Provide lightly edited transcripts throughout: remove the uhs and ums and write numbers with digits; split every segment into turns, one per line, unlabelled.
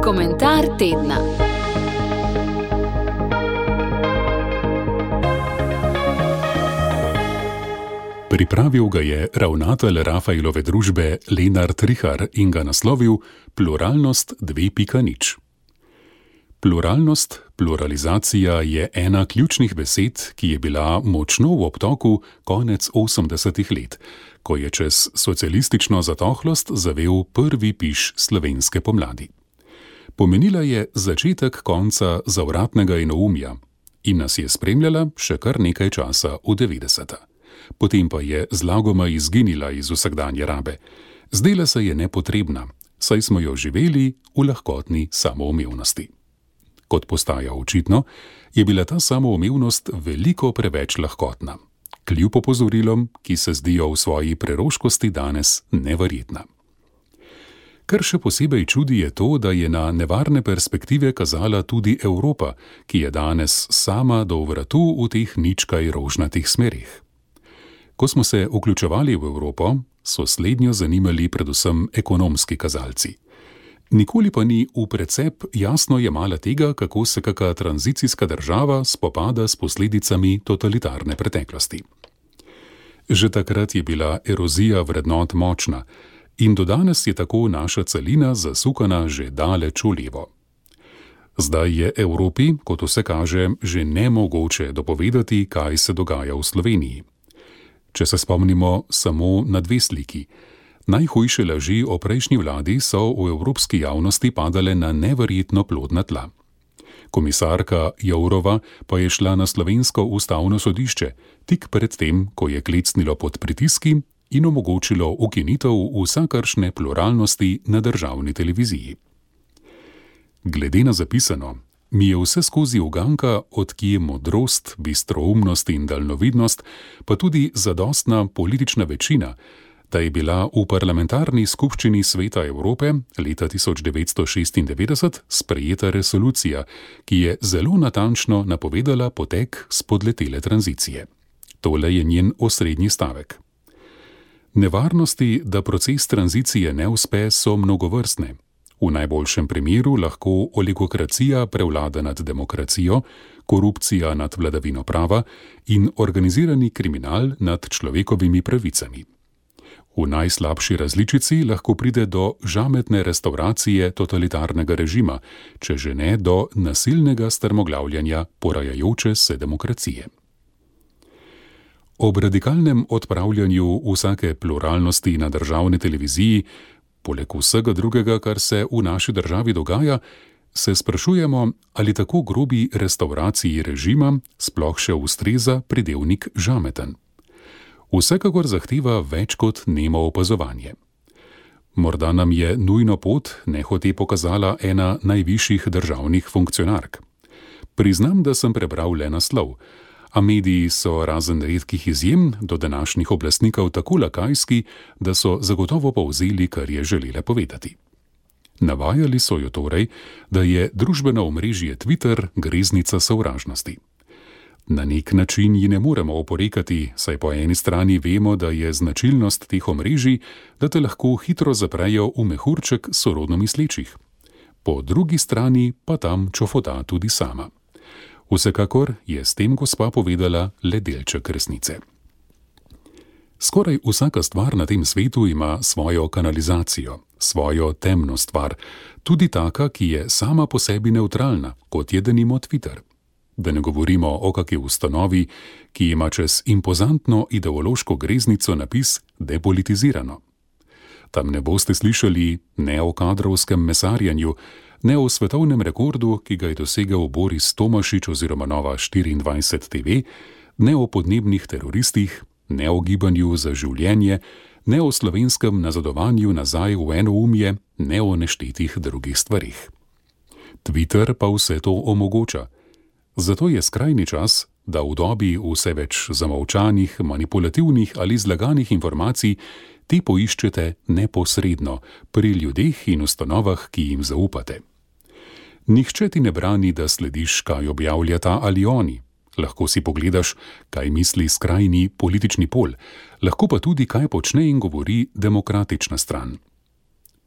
Komentar tedna.
Pripravil ga je ravnatelj Rafaelove družbe Lenart Rihar in ga naslovil Pluralnost 2.0. Pluralnost, pluralizacija je ena ključnih besed, ki je bila močno v obtoku konec 80. let, ko je čez socialistično zatohlost zavel prvi piš slovenske pomladi. Pomenila je začetek konca zavratnega enoumja in nas je spremljala še kar nekaj časa v 90. Potem pa je zlagoma izginila iz vsakdanje rabe. Zdela se je nepotrebna, saj smo jo živeli v lahkotni samoumevnosti. Kot postaja očitno, je bila ta samoumevnost veliko preveč lahkotna, kljub opozorilom, ki se zdijo v svoji preroškosti danes neverjetna. Kar še posebej čudi je to, da je na nevarne perspektive kazala tudi Evropa, ki je danes sama do vratu v teh ničkaj rožnatih smerih. Ko smo se vključevali v Evropo, so slednjo zanimali predvsem ekonomski kazalci. Nikoli pa ni v precep jasno jemala tega, kako se kaka tranzicijska država spopada s posledicami totalitarne preteklosti. Že takrat je bila erozija vrednot močna in do danes je tako naša celina zasukana že daleč v levo. Zdaj je Evropi, kot vse kaže, že nemogoče dopovedati, kaj se dogaja v Sloveniji. Če se spomnimo samo na dve sliki. Najhujše laži o prejšnji vladi so v evropski javnosti padale na neverjetno plodna tla. Komisarka Jourova pa je šla na slovensko ustavno sodišče, tik pred tem, ko je klecnilo pod pritiski in omogočilo ukinitev vsakršne pluralnosti na državni televiziji. Glede na zapisano, mi je vse skozi uganka, od kje modrost, bistroumnost in daljnovidnost, pa tudi zadostna politična večina, da je bila v parlamentarni skupščini Sveta Evrope leta 1996 sprejeta resolucija, ki je zelo natančno napovedala potek spodletele tranzicije. Tole je njen osrednji stavek. Nevarnosti, da proces tranzicije ne uspe, so mnogovrstne. V najboljšem primeru lahko oligokracija prevlada nad demokracijo, korupcija nad vladavino prava in organizirani kriminal nad človekovimi pravicami. V najslabši različici lahko pride do žametne restavracije totalitarnega režima, če že ne do nasilnega strmoglavljanja porajajoče se demokracije. Ob radikalnem odpravljanju vsake pluralnosti na državni televiziji, poleg vsega drugega, kar se v naši državi dogaja, se sprašujemo, ali tako grobi restavraciji režima sploh še ustreza pridevnik žameten. Vsekakor zahteva več kot nemo opazovanje. Morda nam je nujno pot nehote pokazala ena najvišjih državnih funkcionark. Priznam, da sem prebral le naslov, a mediji so razen redkih izjem do današnjih oblastnikov tako lakajski, da so zagotovo povzeli, kar je želela povedati. Navajali so jo torej, da je družbeno omrežje Twitter greznica sovražnosti. Na nek način ji ne moremo oporekati, saj po eni strani vemo, da je značilnost teh omrežij, da te lahko hitro zaprejo v mehurček sorodno mislečih. Po drugi strani pa tam čofota tudi sama. Vsekakor je s tem gospa povedala le delček resnice. Skoraj vsaka stvar na tem svetu ima svojo kanalizacijo, svojo temno stvar, tudi taka, ki je sama po sebi nevtralna, kot je denimo Twitter. Da ne govorimo o kaki ustanovi, ki ima čez impozantno ideološko greznico napis depolitizirano. Tam ne boste slišali ne o kadrovskem mesarjanju, ne o svetovnem rekordu, ki ga je dosegel Boris Tomašič oziroma Nova 24 TV, ne o podnebnih teroristih, ne o gibanju za življenje, ne o slovenskem nazadovanju nazaj v enoumje, ne o neštetih drugih stvarih. Twitter pa vse to omogoča. Zato je skrajni čas, da v dobi vse več zamolčanih, manipulativnih ali zlaganih informacij te poiščete neposredno pri ljudeh in ustanovah, ki jim zaupate. Nihče ti ne brani, da slediš, kaj objavlja ta ali oni. Lahko si pogledaš, kaj misli skrajni politični pol, lahko pa tudi, kaj počne in govori demokratična stran.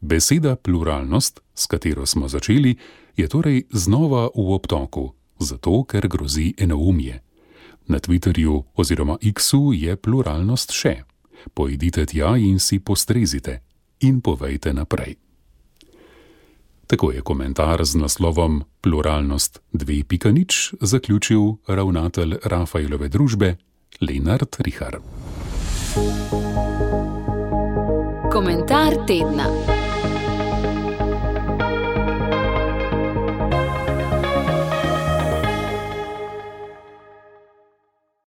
Beseda pluralnost, s katero smo začeli, je torej znova v obtoku, zato ker grozi enoumje. Na Twitterju oziroma X-u je pluralnost še. Pojdite tja in si postrezite in povejte naprej. Tako je komentar z naslovom Pluralnost 2.0 zaključil ravnatelj Rafaelove družbe Lenart Rihar.
Komentar tedna.